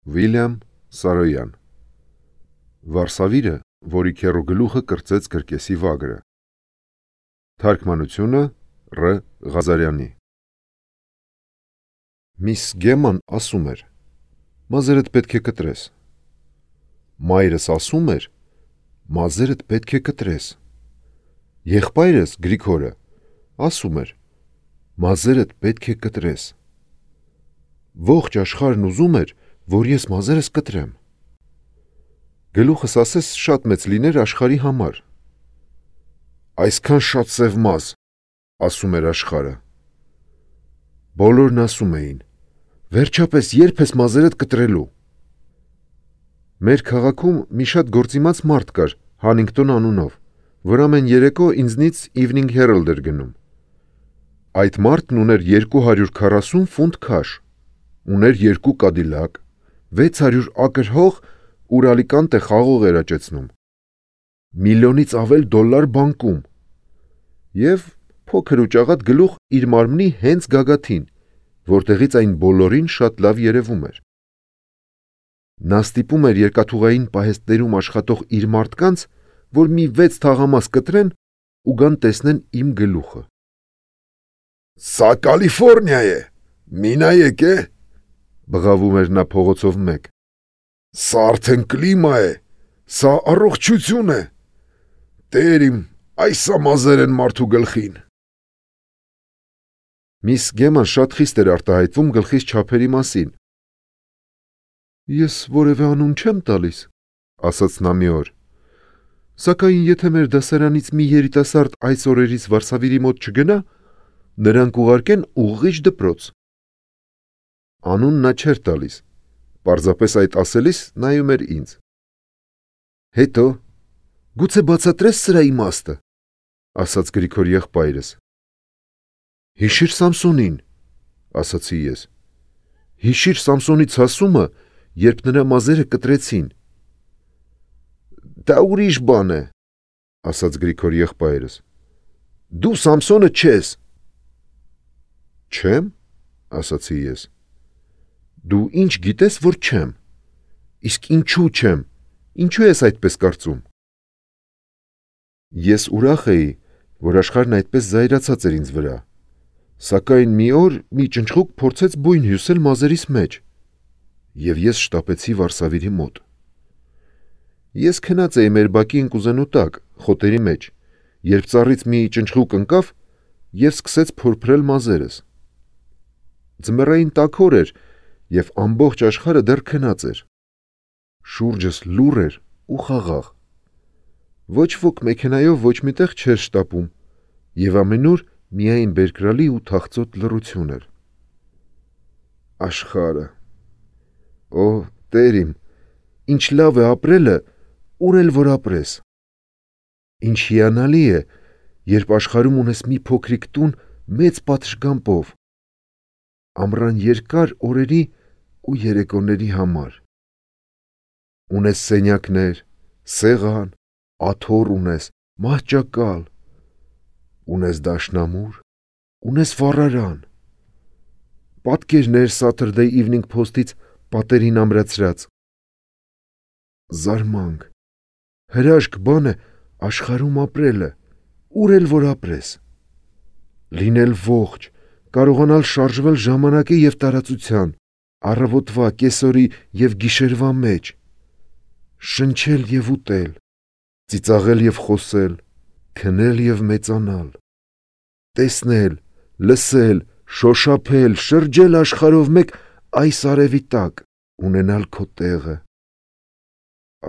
Վիլյամ Սարոյան Վարսավիրը, որի քեռու գլուխը կրծեց կրկեսի վագրը։ Թարգմանությունը Ռ. Ղազարյանի։ Միս Գեման ասում էր. «Մազերդ պետք է կտրես»։ Մայրս ասում էր. «Մազերդ պետք է կտրես»։ Եղբայրս Գրիգորը ասում էր. «Մազերդ պետք է կտրես»։ Ողջ աշխարհն ուզում էր, որ ես մազերս կտրեմ։ Գլուխս ասես շատ մեծ լիներ աշխարհի համար։ «Այսքան շատ սև մազ», ասում էր աշխարհը։ Բոլորն ասում էին. «Վերջապես երբ ես մազերդ կտրելու»։ Մեր քաղաքում մի շատ գործիմաց մարդ կար Հանինգտոն անունով, որ ամեն երեկո ինձնից Evening Herald էր գնում։ Այդ մարդն ուներ 240 ֆունտ քաշ, ուներ 2 կադիլակ, 600 ակր հող, ուր Ալիկանտե խաղող էր աճեցնում, միլիոնից ավել դոլար բանկում և փոքր ու ճաղատ գլուխ իր մարմնի հենց գագաթին, որտեղից այն բոլորին շատ լավ երևում էր։ Նա ստիպում էր երկաթուղային պահեստներում աշխատող իր մարդկանց, որ մի 6 թաղամաս կտրեն ու գան տեսնեն իմ գլուխը։ «Սա Կալիֆորնիա է, մի նայեք է», բղավում էր նա փողոցով մեկ։ «Սա արդեն կլիմա է, սա առողջություն է, Տեր իմ, այսա մազեր են մարդու գլխին»։ Միս Գեման շատ խիստ էր արտահայտվում գլխիս չափերի մասին։ «Ես որևէ անուն չեմ տալիս», ասաց նա մի օր, «սակայն եթե մեր դասարանից մի երիտասարդ այս օրերից Վարսավիրի մոտ չգնա, նրան կուղարկեն ուղղիչ դպրոց»։ Անուն նա չէր տալիս, պարզապես այդ ասելիս նայում էր ինձ։ Հետո «Գուցե բացատրես սրա իմաստը», ասաց Գրիգոր եղբայրս։ «Հիշիր Սամսոնին», ասացի ես։ «Հիշիր Սամսոնի ցասումը, երբ նրա մազերը կտրեցին»։ «Դա ուրիշ բան է», ասաց Գրիգոր եղբայրս։ «Դու Սամսոնը չես»։ «Չեմ», ասացի ես։ «Դու ինչ գիտես, որ չեմ։ Իսկ ինչու չեմ, ինչու ես այդպես կարծում»։ Ես ուրախ էի, որ աշխարհն այդպես զայրացած էր ինձ վրա, սակայն մի օր մի ճնճղուկ փորձեց բույն հյուսել մազերիս մեջ, և ես շտապեցի Վարսավիրի մոտ։ Ես քնած էի մեր բակի ընկուզենու տակ, խոտերի մեջ, երբ ծառից մի ճնճղուկ ընկավ և սկսեց փորփրել մազերս։ Ձմեռային տաք օր էր, և ամբողջ աշխարհը դեռ քնած էր։ Շուրջս լուռ էր ու խաղաղ։ Ոչ ոք մեքենայով ոչ մի տեղ չէր շտապում, և ամենուր միայն բերկրալի ու թախծոտ լռություն էր։ Աշխարհը… Օ, Տեր իմ, ինչ լավ է ապրելը, ուր էլ որ ապրես։ Ինչ հիանալի է, երբ աշխարհում ունես մի փոքրիկ տուն մեծ պատշգամբով, ամռան երկար օրերի ու երեկոների համար։ Ունես սենյակներ, սեղան, աթոռ ունես, մահճակալ, ունես դաշնամուր, ունես վառարան, պատկերներ Saturday Evening Post-ից պատերին ամրացրած։ Զարմանք, հրաշք բան է աշխարհում ապրելը, ուր էլ որ ապրես։ Լինել ողջ, կարողանալ շարժվել ժամանակի և տարածության, առավոտվա, կեսօրի և գիշերվա մեջ, շնչել և ուտել, ծիծաղել և խոսել, քնել և մեծանալ, տեսնել, լսել, շոշափել, շրջել աշխարհով մեկ այս արևի տակ, ունենալ քո տեղը։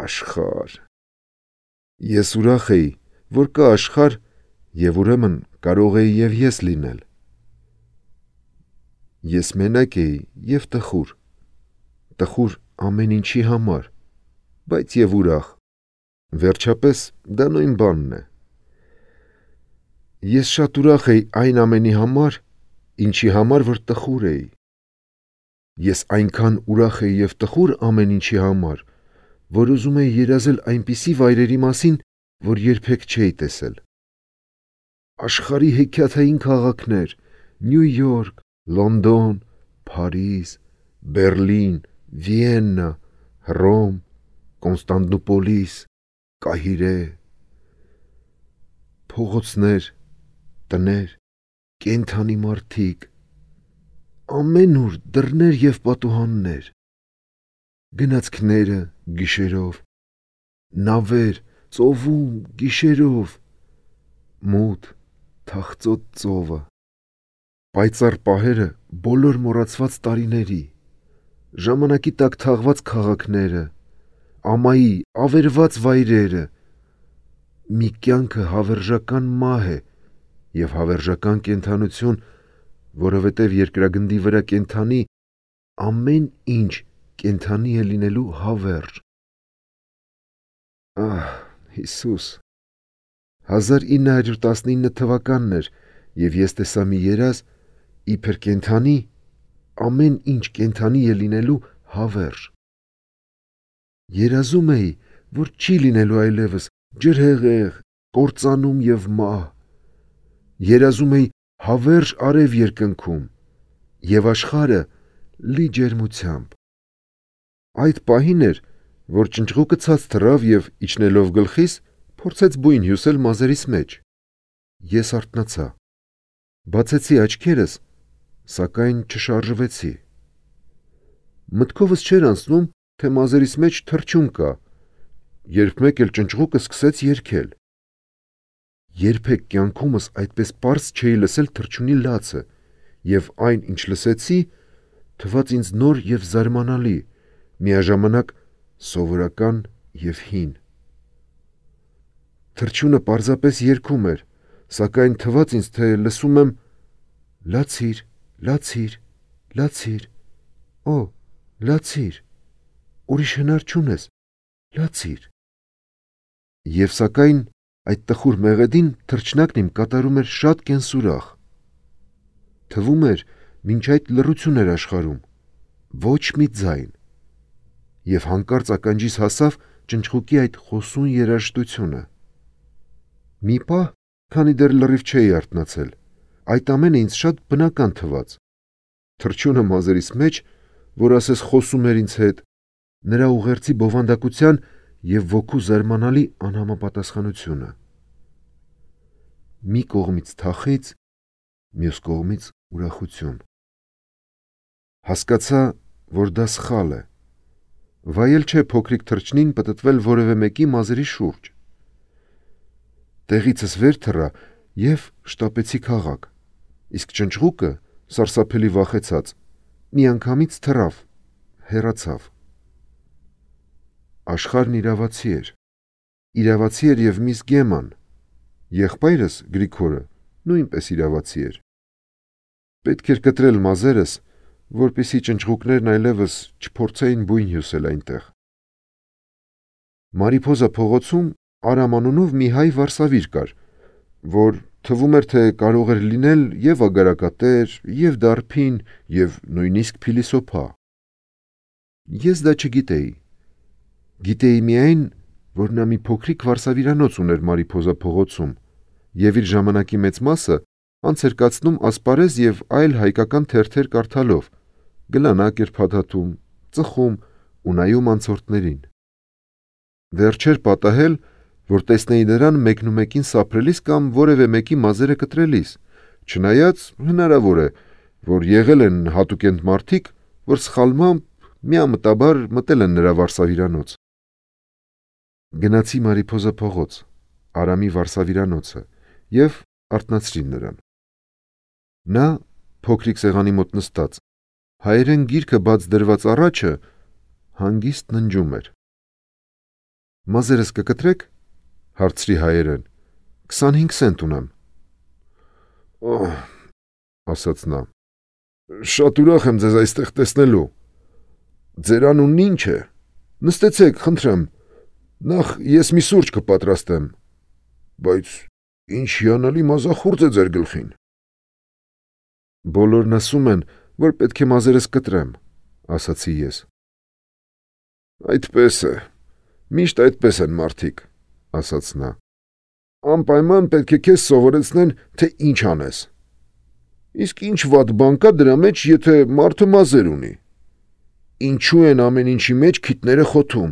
Աշխարհ… Ես ուրախ էի, որ կա աշխարհ, և ուրեմն կարող էի և ես լինել։ Ես մենակ էի և տխուր ամեն ինչի համար, բայց և ուրախ, վերջապես դա նույն բանն է։ Ես շատ ուրախ էի այն ամենի համար, ինչի համար որ տխուր էի։ Ես այնքան ուրախ էի և տխուր ամեն ինչի համար, որ ուզում էի երազել այնպիսի վայրերի մասին, որ երբեք չէի տեսել։ Աշխարհի հեքիաթային քաղաքներ՝ Նյու Յորք, Լոնդոն, Փարիզ, Բեռլին, Վիեննա, Հռոմ, Կոնստանդնուպոլիս, Կահիրե, փողոցներ, տներ, կենդանի մարդիկ, ամենուր դռներ և պատուհաններ, գնացքները գիշերով, նավեր, ծովում գիշերով, մութ, թախծոտ ծովը, պայծառ պահերը բոլոր մոռացված տարիների, ժամանակի տակ թաղված քաղաքները, ամայի ավերված վայրերը, մի կյանքը հավերժական մահ է և հավերժական կենդանություն, որովհետև երկրագնդի վրա կենդանի ամեն ինչ կենդանի է լինելու հավերժ։ Ահ, Հիսուս, 1919 թվականն էր, և ես տեսա մի երազ, իբր կենդանի, ամեն ինչ կենդանի է լինելու հավերժ։ Երազում էի, որ չի լինելու այլևս ջրհեղեղ, կործանում և մահ։ Երազում էի հավերժ արև երկնքում և աշխարհը լի ջերմությամբ։ Այդ պահին էր, որ ճնճղուկը ցած թռավ և, իջնելով գլխիս, փորձեց բույն հյուսել մազերիս մեջ։ Ես արթնացա, բացեցի աչքերս, սակայն չշարժվեցի։ Մտքովս չէր անցնում, թե մազերիս մեջ թռչուն կա, երբ մեկ էլ ճնճղուկը սկսեց երգել։ Երբեք կյանքումս այդպես պարզ չէի լսել թռչունի լացը, և այն, ինչ լսեցի, թվաց ինձ նոր և զարմանալի, միաժամանակ սովորական և հին։ Թռչունը պարզապես երգում էր, սակայն թվաց ինձ, թե լսում եմ «Լացիր, լացիր, լացիր, օ, լացիր, ուրիշ հնար չունես, լացիր»։ Եվ սակայն այդ տխուր մեղեդին թռչնակն իմ կատարում էր շատ կենսուրախ։ Թվում էր, մինչ այդ լռություն էր աշխարհում, ոչ մի ձայն, և հանկարծ ականջիս հասավ ճնճղուկի այդ խոսուն երաժշտությունը։ Մի պահ, քանի դեռ լրիվ չէի արթնացել, այդ ամենը ինձ շատ բնական թվաց։ Թռչունը մազերիս մեջ, որ ասես խոսում էր ինձ հետ, նրա ուղերձի բովանդակության և ոգու զարմանալի անհամապատասխանությունը։ Մի կողմից թախիծ, մյուս կողմից ուրախություն։ Հասկացա, որ դա սխալ է։ Վայել չէ փոքրիկ թռչնին պտտվել որևէ մեկի մազերի շուրջ։ Տեղիցս վեր թռա և շտապեցի քաղաք, իսկ ճնճղուկը, սարսափելի վախեցած, միանգամից թռավ, հեռացավ։ Աշխարհն իրավացի էր։ Իրավացի էր և միս Գեման, եղբայրս Գրիգորը նույնպես իրավացի էր։ Պետք էր կտրել մազերս, որպեսզի ճնճղուկներն այլևս չփորձեին բույն հյուսել այնտեղ։ Մարիփոզա փողոցում Արամ անունով մի հայ վարսավիր կար, որ թվում էր, թե կարող էր լինել և ագարակատեր, և դարբին, և նույնիսկ փիլիսոփա։ Ես դա չգիտեի։ Գիտեի միայն, որ նա մի փոքրիկ վարսավիրանոց ուներ Մարիփոզա փողոցում և իր ժամանակի մեծ մասը անց էր կացնում ասպարեզ և այլ հայկական թերթեր կարդալով, գլանակ էր փաթաթում, ծխում ու նայում անցորդներին։ Դեռ չէր պատահել, որ տեսնեի նրան մեկնումեկին սափրելիս կամ որևէ մեկի մազերը կտրելիս, չնայած հնարավոր է, որ եղել են հատուկենտ մարդիկ, որ սխալմամբ միամտաբար մտել են նրա վարսավիրանոց։ Գնացի Մարիփոզա փողոց, Արամի վարսավիրանոցը, և արթնացրի նրան։ Նա, փոքրիկ սեղանի մոտ նստած, հայերեն գիրքը բաց դրված առաջը, հանգիստ ննջում էր։ «Մազերս կկտրեք», հարցրի հայերեն, 25 սենտ ունեմ։ «Օհ», ասաց նա, «շատ ուրախ եմ ձեզ այստեղ տեսնելու։ Ձեր անունն ի՞նչ է։ Նստեցեք, խնդրեմ, նախ ես մի սուրճ կպատրաստեմ, բայց ինչ հիանալի մազախուրդ է ձեր գլխին»։ «Բոլորն ասում են, որ պետք է մազերս կտրեմ», ասացի ես։ «Այդպես է, միշտ այդպես են մարդիկ», ասաց նա։ «Անպայման պետք է քեզ սովորեցնեն, թե ինչ անես։ Իսկ ինչ վատ բան կա դրա մեջ, եթե մարդը մազեր ունի։ ինչու են ամեն ինչի մեջ քիթները խոթում։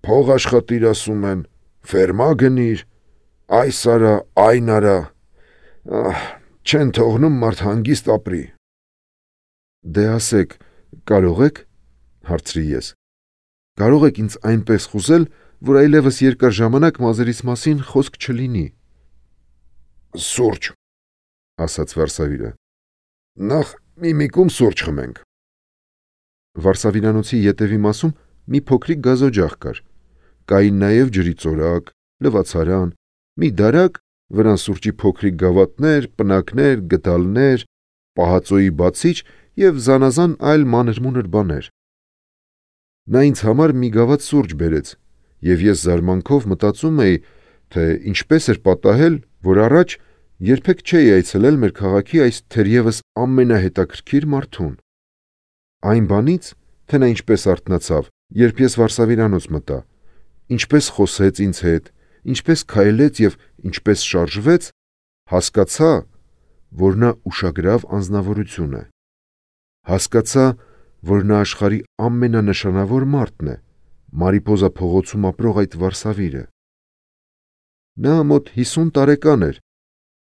Փող աշխատիր ասում են, ֆերմա գնիր, այս արա, այն արա, չեն թողնում մարդ հանգիստ ապրի։ Դե ասեք, կարող եք, հարցրի ես, կարող եք ինձ այնպես խուզել, որ այլևս երկար ժամանակ մազերիս մասին խոսք չլինի։ Սուրճ, ասաց Վարսավիրը, նախ միմիկում սուրճ խմենք։ Վարսավիրանոցի ետևի մասում մի փոքրիկ գազօջախ կար, կային նաև ջրի ծորակ, լվացարան, մի դարակ, վրան սուրճի փոքրիկ գավաթներ, պնակներ, գդալներ, պահածոյի բացիչ և զանազան այլ մանր-մունր բաներ։ Նա ինձ համար մի գավաթ սուրճ բերեց, և ես զարմանքով մտածում էի, թե ինչպես էր պատահել, որ առաջ երբեք չէի այցելել մեր քաղաքի այս թերևս ամենահետաքրքիր մարդուն։ Այն բանից, թե նա ինչպես արթնացավ, երբ ես Վարսավիրանոց մտա, ինչպես խոսեց ինձ հետ, ինչպես քայլեց և ինչպես շարժվեց, հասկացա, որ նա ուշագրավ անձնավորություն է։ Հասկացա, որ նա աշխարհի ամենանշանավոր մարդն է, Մարիպոզա փողոցում ապրող այդ Վարսավիրը։ Նա մոտ 50 տարեկան էր,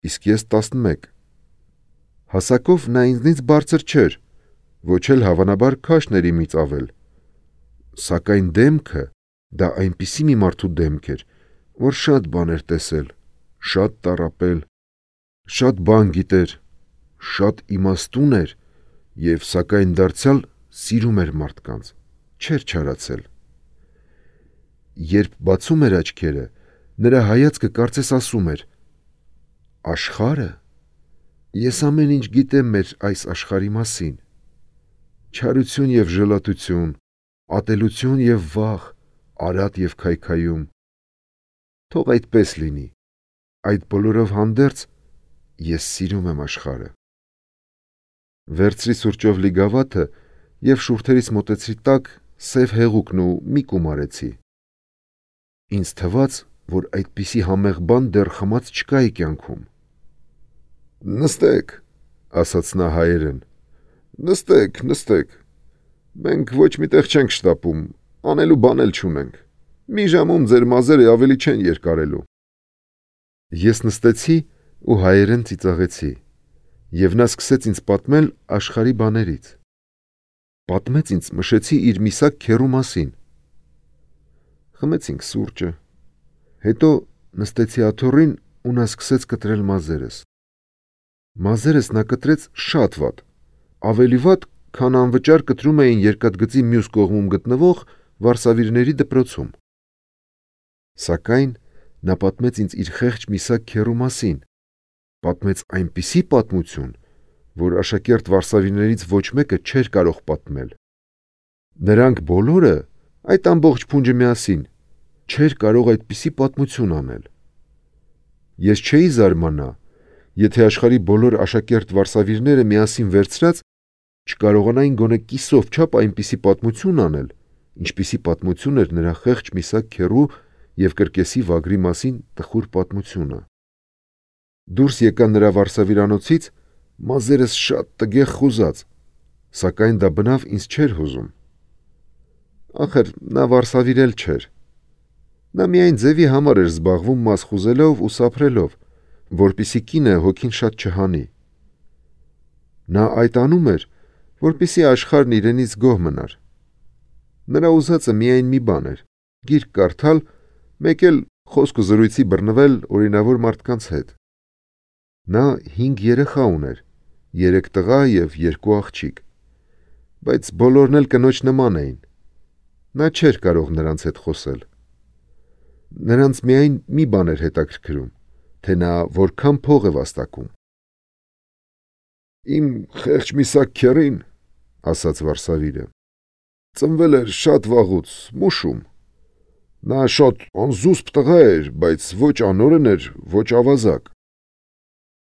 իսկ ես 11։ Հասակով նա ինձնից բարձր չէր, ոչ էլ հավանաբար քաշն էր իմից ավել, սակայն դեմքը դա այնպիսի մի մարդու դեմք էր, որ շատ բան էր տեսել, շատ տառապել, շատ բան գիտեր, շատ իմաստուն էր և սակայն դարձյալ սիրում էր մարդկանց, չէր չարացել։ Երբ բացում էր աչքերը, նրա հայացքը կարծես ասում էր. աշխարհը, ես ամեն ինչ գիտեմ մեր այս աշխարհի մասին, չարություն և ժլատություն, ատելություն և վախ, արատ և քայքայում, թող այդպես լինի, այդ բոլորով հանդերձ ես սիրում եմ աշխարհը։ Վերցրի սուրճով լի գավաթը և շուրթերիս մոտեցրի տակ սև հեղուկն ու մի կում արեցի։ Ինձ թվաց, որ այդպիսի համեղ բան դեռ խմած չկայի կյանքում։ Նստեք, ասաց նա հայերեն, նստեք, մենք ոչ մի տեղ չենք շտապում, անելու բան էլ չունենք, մի ժամում ձեր մազերը ավելի չեն երկարելու։ Ես նստեցի ու հայերեն ծիծաղեցի, և նա սկսեց ինձ պատմել աշխարհի բաներից։ Պատմեց ինձ մշեցի իր միսակ քեռու մասին։ Խմեցինք սուրճը, հետո նստեցի աթոռին ու նա սկսեց կտրել մազերս։ Մազերս նա կտրեց շատ վատ, ավելի վատ, քան անվճար կտրում էին երկաթգծի մյուս կողմում գտնվող վարսավիրների դպրոցում։ Սակայն նա պատմեց ինձ իր խեղճ միսակ քեռու մասին, պատմեց այնպիսի պատմություն, որ աշակերտ վարսավիրներից ոչ մեկը չէր կարող պատմել։ Նրանք բոլորը, այդ ամբողջ փունջը միասին, չէր կարող այդպիսի պատմություն անել։ Ես չէի զարմանա, եթե աշխարհի բոլոր աշակերտ վարսավիրները միասին վերցրած չկարողանային գոնե կիսով չափ այնպիսի պատմություն անել, ինչպիսի պատմություն էր նրա խեղճ միսակ քեռու և կրկեսի վագրի մասին տխուր պատմությունը։ Դուրս եկա նրա վարսավիրանոցից մազերս շատ տգեղ խուզած, սակայն դա բնավ ինձ չէր հուզում։ Ախր նա վարսավիրել չէր։ Նա միայն ձևի համար էր զբաղվում մազ խուզելով ու սափրելով, որպեսզի կինը հոգին շատ չհանի։ Նա այդ անում էր, որպեսզի աշխարհն իրենից գոհ մնար։ Նրա ուզածը միայն մի բան էր՝ գիրք կարդալ, մեկ էլ խոսք ու զրույցի բռնվել օրինավոր մարդկանց հետ։ Նա 5 երեխա ուներ, 3 տղա և 2 աղջիկ, բայց բոլորն էլ կնոջ նման էին։ Նա չէր կարող նրանց հետ խոսել։ Նրանց միայն մի բան էր հետաքրքրում, թե նա որքան փող է վաստակում։ Իմ խեղճ միսակ քեռին, ասաց Վարսավիրը, ծնվել էր շատ վաղուց, մուշում։ Նա շատ անզուսպ տղա էր, բայց ոչ անօրեն էր, ոչ ավազակ։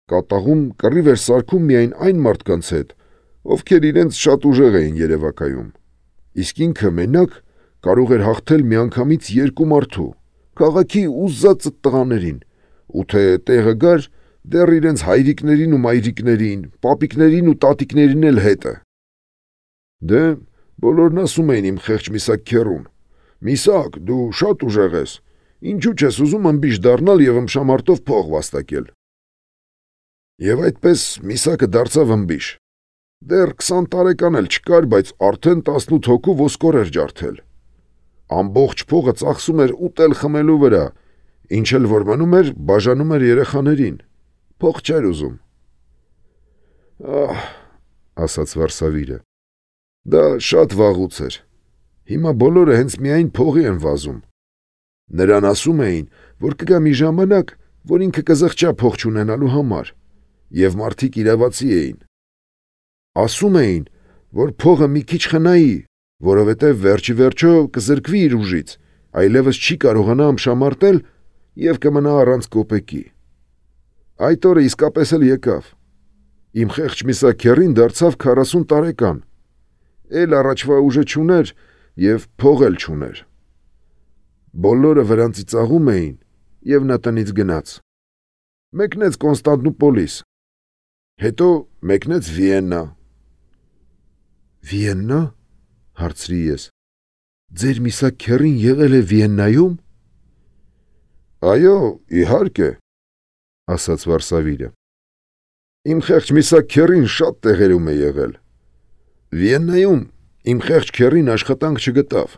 Կատաղում կռիվ էր սարքում միայն այն մարդկանց հետ, ովքեր իրենց շատ ուժեղ էին երևակայում, իսկ ինքը մենակ կարող էր հաղթել միանգամից 2 մարդու, քաղաքի ուզածդ տղաներին, ու թե տեղը գար, դեռ իրենց հայրիկներին ու մայրիկներին, պապիկներին ու տատիկներին էլ հետը։ Դե, Բոլորն ասում էին իմ խեղճ Միսակ քեռուն. «Միսակ, դու շատ ուժեղ ես, ինչու չես ուզում ըմբիշ դառնալ եւ ըմբշամարտով փող վաստակել»։ Եվ այդպես Միսակը դարձավ ըմբիշ։ Դեռ 20 տարեկան էլ չկար, բայց արդեն 18 հոգու ոսկոր էր ջարդել։ Ամբողջ փողը ծախսում էր ուտել խմելու վրա, ինչ էլ որ մնում էր, բաժանում էր երեխաներին։ Փող չէր ուզում։ Ասաց Վարսավիրը։ Դա շատ վաղուց էր։ Հիմա բոլորը հենց միայն փողի են վազում։ Նրան ասում էին, որ կգա մի ժամանակ, որ ինքը կզղջա փող չունենալու համար, եւ մարդիկ իրավացի էին։ Ասում էին, որ փողը մի քիչ խնայի, որովհետև վերջի վերջո կզրկվի իր ուժից, այլևս չի կարողանա ըմբշամարտել եւ կմնա առանց կոպեկի։ Այդ օրը իսկապես էլ եկավ։ Իմ խեղճ Միսակ քեռին դարձավ 40 տարեկան։ Էլ առաջվա ուժը չուներ եւ փող էլ չուներ։ Բոլորը վրանցի ծաղում էին եւ նա տնից գնաց։ Մեկնեց Կոնստանտինոպոլիս, հետո մեկնեց Վիեննա։ Վիեննա, հարցրի ես։ Ձեր Միսակ քեռին եղել է Վիեննայում։ Այո, իհարկե, ասաց Վարսավիրը։ Իմ խեղճ Միսակ քեռին շատ տեղերում է եղել։ Վիեննայում իմ խեղճ քեռին աշխատանք չգտավ։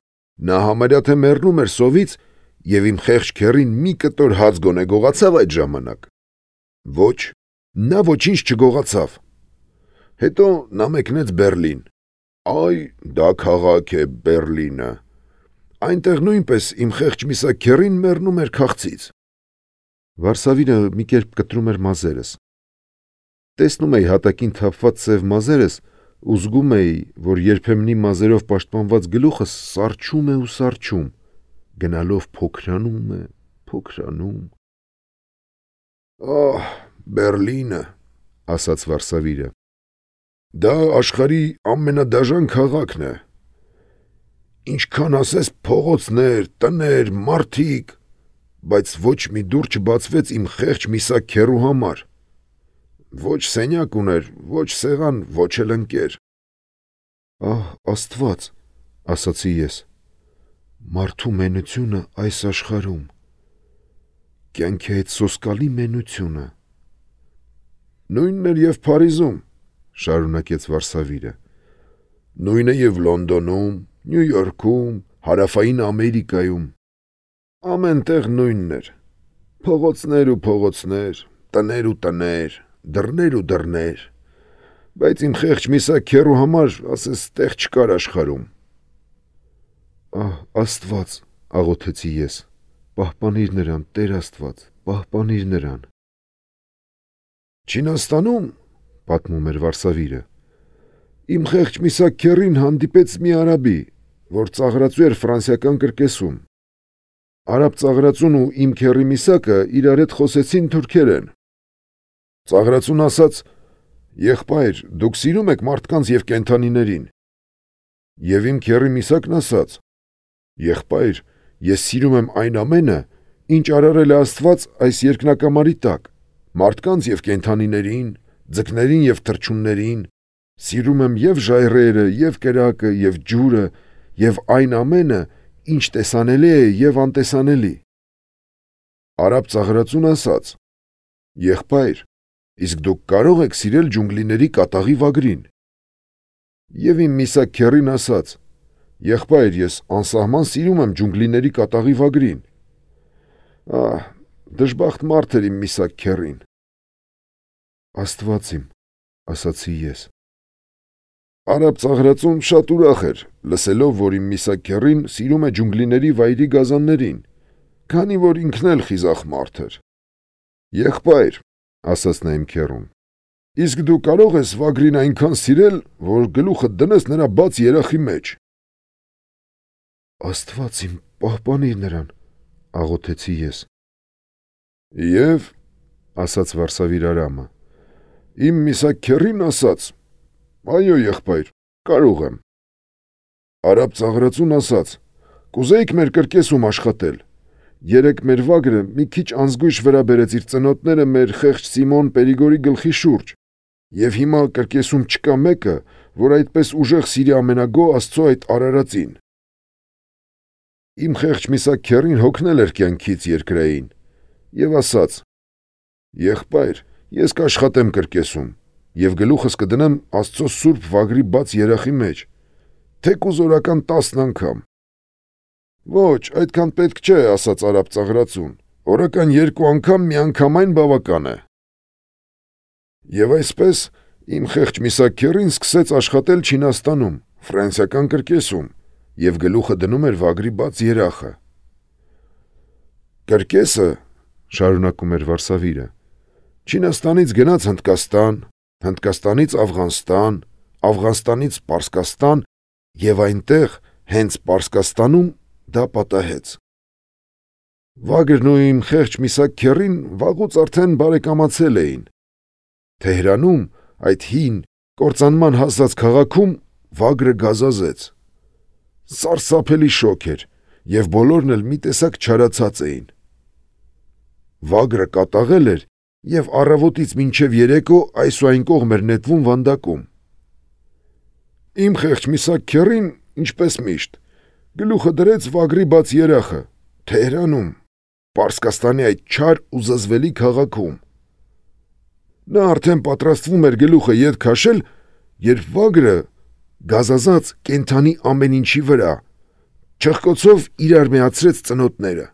Նա համարյա թե մեռնում էր սովից եւ իմ խեղճ քեռին մի կտոր հաց գոնե գողացավ այդ ժամանակ։ Ոչ, նա ոչինչ չգողացավ։ Հետո նա մեկնեց Բերլին։ Այ, դա քաղաք է Բերլինը։ Այնտեղ նույնպես իմ խեղճ Միսակ քեռին մեռնում էր քաղցից։ Վարսավիրը մի կերպ կտրում էր մազերս։ Տեսնում էի հատակին թափված սև մազերս ու զգում էի, որ երբեմնի մազերով պաշտպանված գլուխս սառչում է ու սառչում, գնալով փոքրանում է, փոքրանում։ Բերլինը, ասաց Վարսավիրը։ Դա աշխարհի ամենադաժան քաղաքն է։ Ինչքան ասես փողոցներ, տներ, մարդիկ, բայց ոչ մի դուռ չբացվեց իմ խեղճ Միսակ քեռու համար։ Ոչ սենյակ ուներ, ոչ սեղան, ոչ էլ ընկեր։ Աստված, ասացի ես, մարդու մենությունը այս աշխարհում, կյանքի այդ սոսկալի մենությունը։ Նույնն էր եւ Փարիզում, շարունակեց Վարսավիրը։ Նույնը եւ Լոնդոնում, Նյու Յորքում, Հարավային Ամերիկայում։ Ամեն տեղ նույնն էր։ Փողոցներ ու փողոցներ, տներ ու տներ, դռներ ու դռներ։ Բայց իմ խեղճ Միսակ քեռու համար ասես տեղ չկար աշխարհում։ Աստված, աղոթեցի ես, պահպանիր նրան, Տեր Աստված, պահպանիր նրան։ Չինաստանում, պատմում էր Վարսավիրը, իմ խեղճ Միսակ քեռին հանդիպեց մի արաբի, որ ծաղրածու էր ֆրանսիական կրկեսում։ Արաբ ծաղրածուն ու իմ քեռի Միսակը իրար հետ խոսեցին թուրքերեն։ Ծաղրածուն ասաց. «Եղբայր, դուք սիրում եք մարդկանց եւ կենդանիներին»։ Եվ իմ քեռի Միսակն ասաց. «Եղբայր, ես սիրում եմ այն ամենը, ինչ արարել է Աստված այս երկնակամարի տակ, մարդկանց եւ կենդանիներին, ձկներին եւ թռչուններին, սիրում եմ եւ ժայռերը, եւ կրակը, եւ ջուրը, եւ այն ամենը, ինչ տեսանելի է եւ անտեսանելի»։ Արաբ ծաղրածուն ասաց. «Եղբայր, իսկ դուք կարող եք սիրել ջունգլիների կատաղի վագրին»։ Եվ իմ Միսակ քեռին ասաց. «Եղբայր, ես անսահման սիրում եմ ջունգլիների կատաղի վագրին»։ Դժբախտ մարդ էր իմ Միսակ քեռին։ Աստված իմ, ասացի ես։ Արաբ ծաղրածուն շատ ուրախ էր, լսելով, որ իմ Միսակ քեռին սիրում է ջունգլիների վայրի գազաններին, քանի որ ինքն էլ խիզախ մարդ էր։ Եղբայր, ասաց նա իմ քեռուն, իսկ դու կարող ես վագրին այնքան սիրել, որ գլուխը դնես նրա բաց երախի մեջ։ Աստված իմ, պահպանիր նրան, աղոթեցի ես։ Եվ, ասաց Վարսավիր Արամը, իմ Միսակ քեռին ասաց. «Այո, եղբայր, կարող եմ»։ Արաբ ծաղրածուն ասաց. «Կուզեիք մեր կրկեսում աշխատել»։ Երեկ մեր վագրը մի քիչ անզգույշ վրա բերեց իր ծնոտները մեր խեղճ Սիմոն Պերիգորի գլխի շուրջ, Եվ հիմա կրկեսում չկա մեկը, որ այդպես ուժեղ սիրի ամենագոհ Աստծո այդ արարածին։ Իմ խեղճ միսակ քեռին հոգնել էր կյանքից երկրային եւ ասաց. «Եղբայր, ես կաշխատեմ կրկեսում եւ գլուխս կդնեմ Աստծո սուրբ վագրի բաց երախի մեջ, թեկուզ օրական 10 անգամ»։ «Ոչ, այդքան պետք չէ», ասաց արաբ ծաղրածուն, «օրական 2 անգամ միանգամայն բավական է»։ Եվ այսպես իմ խեղճ միսակ քեռին սկսեց աշխատել Չինաստանում, ֆրանսիական կրկեսում, եւ գլուխը դնում էր վագրի բաց երախը։ Կրկեսը, շարունակում էր Վարսավիրը, Չինաստանից գնաց Հնդկաստան, Հնդկաստանից Աֆղանստան, Աֆղանստանից Պարսկաստան եւ այնտեղ հենց Պարսկաստանում դա պատահեց։ Վագրն ու իմ խեղճ միսակ քեռին վաղուց արդեն բարեկամացել էին։ Թեհրանում, այդ հին, կործանման հասած քաղաքում վագրը գազազեց։ Սարսափելի շոկ էր, եւ բոլորն էլ մի տեսակ չարացած էին։ Վագրը կատաղել էր եւ առավոտից մինչեւ երեկո այս ու այն կողմ էր նետվում վանդակում։ Իմ խեղճ միսակ քեռին, ինչպես միշտ, գլուխը դրեց վագրի բաց երախը, Թեհրանում, Պարսկաստանի այդ չար ու զզվելի քաղաքում։ Նա արդեն պատրաստվում էր գլուխը ետ քաշել, երբ վագրը գազազած կենդանի ամեն ինչի վրա չխկոցով իրար միացրեց ծնոտները։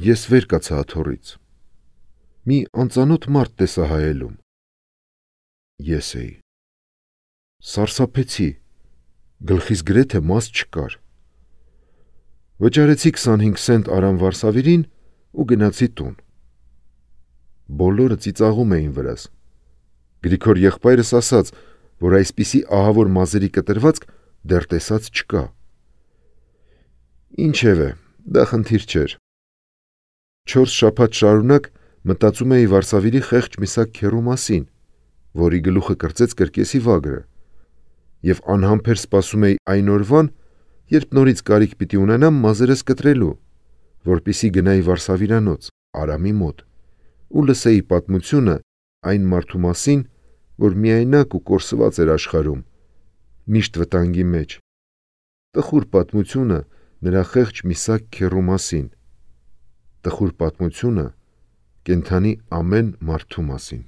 Ես վեր կացա աթոռից։ Մի անծանոթ մարդ տեսա հայելում։ Ես էի։ Սարսափեցի, գլխիս գրեթե մաս չկար։ Վճարեցի 25 սենտ Արամ Վարսավիրին ու գնացի տուն։ Բոլորը ծիծաղում էին վրաս։ Գրիգոր եղբայրս ասաց, որ այսպիսի ահավոր մազերի կտրվածք դեռ տեսած չկա։ Ինչևէ, դա խնդիր չէր։ 4 շաբաթ շարունակ մտածում էի Վարսավիրի խեղճ միսակ քեռու մասին, որի գլուխը կրծեց կրկեսի վագրը, եւ անհամբեր սպասում էի այն օրվան, երբ նորից կարիք պիտի ունենամ մազերս կտրելու, որպիսի գնայի Վարսավիրանոց, Արամի մոտ, ու լսեի պատմությունը այն մարդու մասին, որ միայնակ ու կորսված էր աշխարհում, միշտ վտանգի մեջ, տխուր պատմությունը նրա խեղճ միսակ քեռու մասին, տխուր պատմությունը կենդանի ամեն մարդու մասին։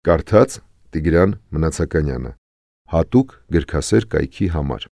Կարդաց Տիգրան Մնացականյանը, հատուկ գրքասեր կայքի համար։